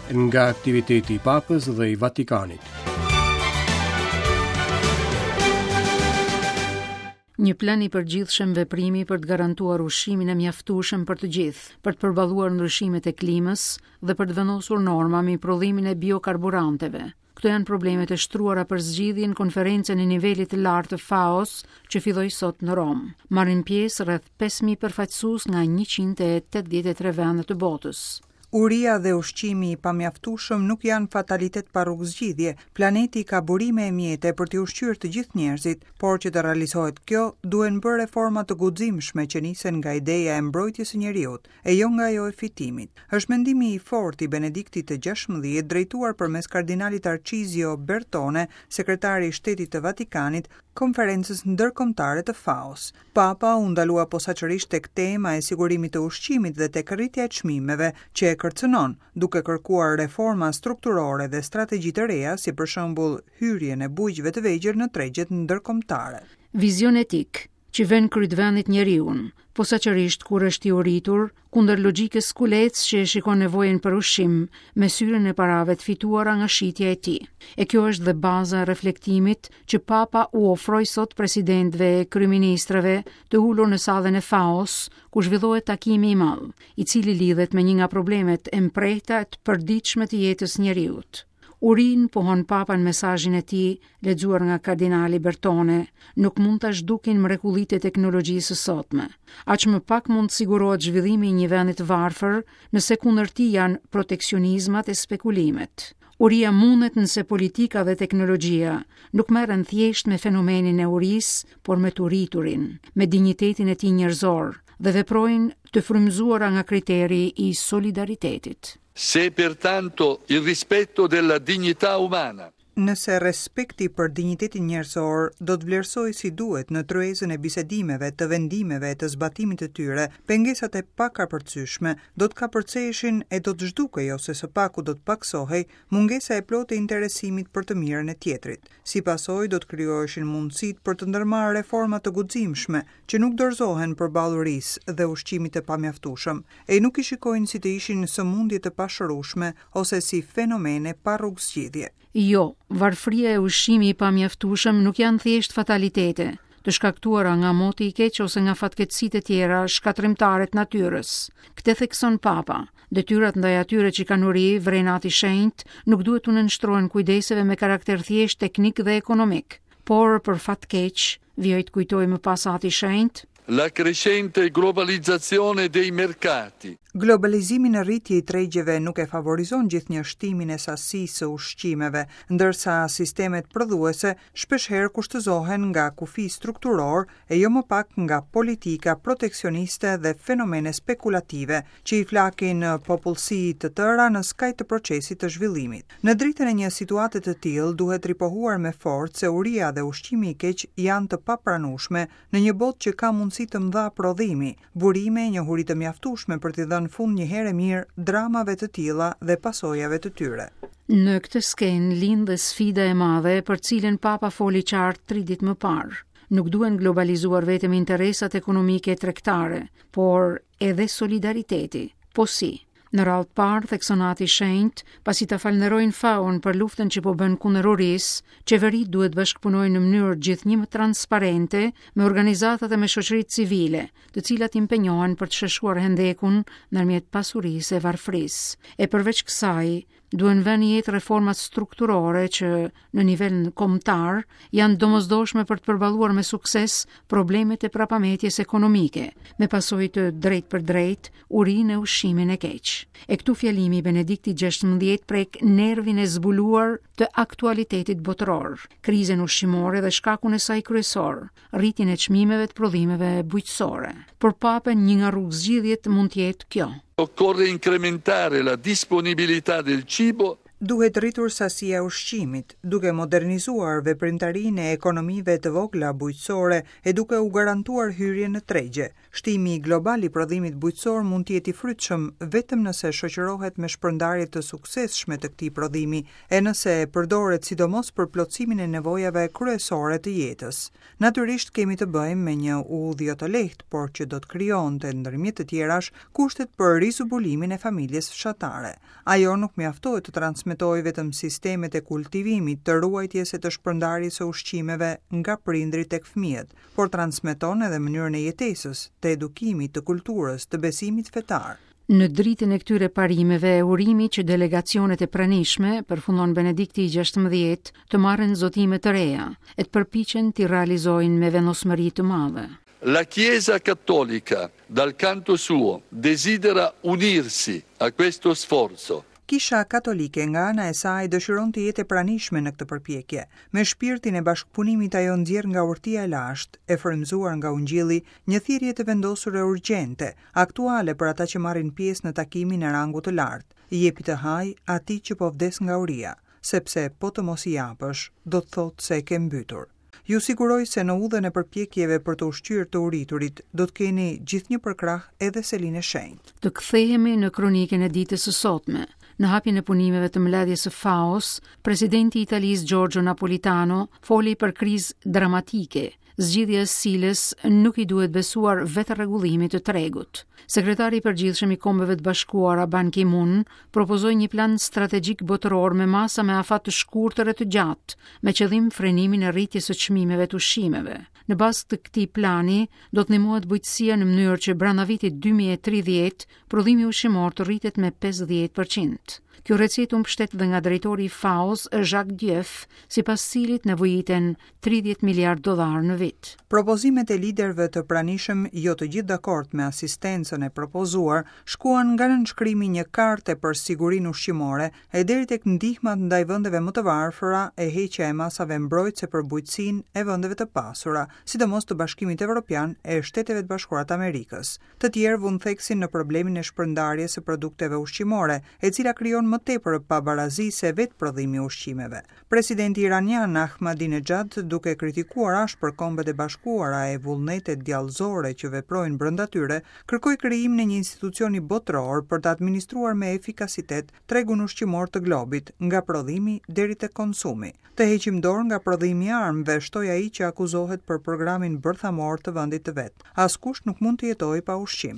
Nga aktiviteti i Papës dhe i Vatikanit. Një plan i përgjithshëm veprimi për të garantuar ushqimin e mjaftueshëm për të gjithë, për të përballuar ndryshimet e klimës dhe për të vendosur norma mbi prodhimin e biokarburanteve. Këto janë problemet e shtruara për zgjidhje në konferencën e nivelit të lartë të FAO-s që filloi sot në Romë. Marrin pjesë rreth 5000 përfaqësues nga 183 vende të botës. Uria dhe ushqimi i pamjaftueshëm nuk janë fatalitet pa rrugëzgjidhje. Planeti ka burime e mjete për t'i ushqyer të gjithë njerëzit, por që të realizohet kjo, duhen bërë reforma të guximshme që nisen nga ideja e mbrojtjes së njeriut, e jo nga ajo e fitimit. Është mendimi i fortë i Benediktit të XVI drejtuar përmes kardinalit Tarcizio Bertone, sekretari i Shtetit të Vatikanit, Konferencës Ndërkombëtare të FAO-s. Papa u ndalua posaçërisht tek tema e sigurimit të ushqimit dhe tek rritja e çmimeve, që e kërcënon, duke kërkuar reforma strukturore dhe strategji të reja, si për shembull hyrjen e bujqve të vegjël në tregjet ndërkombëtare. Vizion etik, që vë në krye të vendit njeriun, posaçërisht kur është i uritur, kundër logjikës kulec që e shikon nevojën për ushqim me syrin e parave të fituara nga shitja e tij. E kjo është dhe baza e reflektimit që Papa u ofroi sot presidentëve e kryeministrave të ulur në sallën e FAO-s, ku zhvillohet takimi i madh, i cili lidhet me një nga problemet e mprehta e të përditshme të jetës së njeriut. Urinë, pohon Papa në mesazhin e tij, lexuar nga kardinali Bertone, nuk mund ta zhdukin mrekullitë e teknologjisë së sotme. Aq më pak mund të sigurohet zhvillimi i një vendi të varfër nëse kundër tij janë proteksionizmat e spekulimet. Uria mundet nëse politika dhe teknologjia nuk merren thjesht me fenomenin e urisë, por me të uriturin, me dinjitetin e tij njerëzor dhe veprojnë të frymëzuara nga kriteri i solidaritetit. Se pertanto il rispetto della dignità umana. Nëse respekti për dinjitetin njerëzor do të vlerësohej si duhet në tryezën e bisedimeve, të vendimeve e të zbatimit të tyre, pengesat e pakapërcyeshme do të kapërceheshin e do të zhdukej ose së paku do të pakësohej mungesa e plotë e interesimit për të mirën e tjetrit. Si pasojë do të krijoheshin mundësitë për të ndërmarrë reforma të guximshme, që nuk dorëzohen përballë urisë dhe ushqimit të pamjaftueshëm, e nuk i shikojnë si të ishin sëmundje të pashërueshme ose si fenomene pa rrugëzgjidhje. Jo, varfëria e ushqimi i pamjaftueshëm nuk janë thjesht fatalitete, të shkaktuara nga moti i keq ose nga fatkeqësitë e tjera shkatërrimtare të natyrës. Këtë thekson Papa. Detyrat ndaj atyre që kanë uri, vëren Ati i Shenjtë, nuk duhet t'u nënshtrohen kujdeseve me karakter thjesht teknik dhe ekonomik. Por, për fat të keq, vijoi të kujtojë më pas Ati i Shenjtë, La crescente globalizzazione dei mercati. Globalizimi në rritje i tregjeve nuk e favorizon gjithnjë shtimin e sasisë së ushqimeve, ndërsa sistemet prodhuese shpeshherë kushtëzohen nga kufij strukturorë e jo më pak nga politika proteksioniste dhe fenomene spekulative, që i flakin popullsi të tëra në skaj të procesit të zhvillimit. Në dritën e një situate të tillë, duhet ripohuar me forcë se uria dhe ushqimi i keq janë të papranueshme në një botë që ka mundësi të mëdha prodhimi, burime e njohuri të mjaftueshme për t'i dhënë fund një herë e mirë dramave të tilla dhe pasojave të tyre. Në këtë skenë lind dhe sfida e madhe për të cilën Papa foli qartë tri ditë më parë. Nuk duhen globalizuar vetëm interesat ekonomike e tregtare, por edhe solidariteti. Po si? Në radhë të parë, thekson Ati i Shenjtë, pasi ta falënderojnë FAO-n për luftën që po bën kundër urisë, qeveritë duhet të bashkëpunojnë në mënyrë gjithnjë më transparente me organizatat e me shoqëritë civile, të cilat impenjohen për të sheshuar hendekun ndërmjet pasurisë e varfërisë. E përveç kësaj, Duhen vënë në jetë reformat strukturore që, në nivel kombëtar, janë të domosdoshme për të përballuar me sukses problemet e prapametjes ekonomike, me pasojë të drejtpërdrejtë, urinë e ushqimin e keq. E këtu fjalimi i Benediktit XVI prek nervin e zbuluar të aktualitetit botëror, krizën ushqimore dhe shkakun e saj kryesor, rritjen e çmimeve të prodhimeve bujqësore. Për Papën një nga rrugëzgjidhjet mund të jetë kjo. Occorre incrementare la disponibilità del cibo. Duhet rritur sasia e ushqimit, duke modernizuar veprimtarinë e ekonomive të vogla bujqësore e duke u garantuar hyrjen në tregje. Shtimi global i prodhimit bujqësor mund të jetë i frytshëm vetëm nëse shoqërohet me shpërndarje të suksesshme të këtij prodhimi e nëse përdoret sidomos për plotësimin e nevojave kryesore të jetës. Natyrisht kemi të bëjmë me një udhë jo të lehtë, por që do të krijonte, ndërmjet të tjerash, kushtet për rizbulimin e familjes fshatare. Ajo nuk mjaftohet të transmetojë vetëm sistemet e kultivimit, të ruajtjes e të shpërndarjes së ushqimeve nga prindërit tek fëmijët, por transmeton edhe mënyrën e jetesës, të edukimit, të kulturës, të besimit fetar. Në dritën e këtyre parimeve, urimi që delegacionet e pranishme, përfundon Benedikti i 16, të marrin zotime të reja e të përpiqen t'i realizojnë me vendosmëri të madhe. La Chiesa Cattolica, dal canto suo, desidera unirsi a questo sforzo. Kisha Katolike nga ana e saj dëshiron të jetë e pranishme në këtë përpjekje. Me shpirtin e bashkëpunimit ajo nxjerr nga urtia e lashtë, e frymëzuar nga Ungjilli, një thirrje të vendosur e urgjente, aktuale për ata që marrin pjesë në takimin e rangut të lartë, Jepi të hajë atij që po vdes nga uria, sepse po të mos i japësh, do të thotë se e ke mbytur. Ju siguroj se në udhën e përpjekjeve për të ushqyer të uriturit, do të keni gjithnjë përkrah edhe Selinë e Shenjtë. Të kthehemi në kronikën e ditës së sotme. Në hapjen e punimeve të mbledhjes së FAO-s, presidenti i Italisë Giorgio Napolitano foli për krizë dramatike, zgjidhja e së cilës nuk i duhet besuar vetërregullimit të tregut. Sekretari i Përgjithshëm i Kombeve të Bashkuara Ban Ki-moon propozoi një plan strategjik botëror me masa me afat të shkurtër e të gjatë, me qëllim frenimin e rritjes së çmimeve të ushqimeve. Në bazë të këtij plani, do të ndihmohet bujqësia në mënyrë që brenda vitit 2030 prodhimi ushqimor të rritet me 50%. Kjo recetë u mbështet dhe nga drejtori i FAO-s, Jacques Diouf, sipas cilit nevojiten 30 miliardë dollarë në vit. Propozimet e liderëve të pranishëm, jo të gjithë dakord me asistencën e propozuar, shkuan nga nënshkrimi i një karte për sigurinë ushqimore e deri tek ndihmat ndaj vendeve më të varfëra e heqja e masave mbrojtëse për bujqësinë e vendeve të pasura, sidomos të Bashkimit Evropian e Shteteve të Bashkuara të Amerikës. Të tjerë vunë theksin në problemin e shpërndarjes së produkteve ushqimore, e cila krijon më tepër pabarazi se vetë prodhimi i ushqimeve. Presidenti iranian Ahmadinejad, duke kritikuar ashpër Kombet e Bashkuara e vullnetet djallëzore që veprojnë brenda tyre, kërkoi krijimin e një institucioni botëror për të administruar me efikasitet tregun ushqimor të globit, nga prodhimi deri te konsumi. Të heqim dorë nga prodhimi i armëve, shtoi ai që akuzohet për programin bërthamor të vendit të vet. Askush nuk mund të jetojë pa ushqim.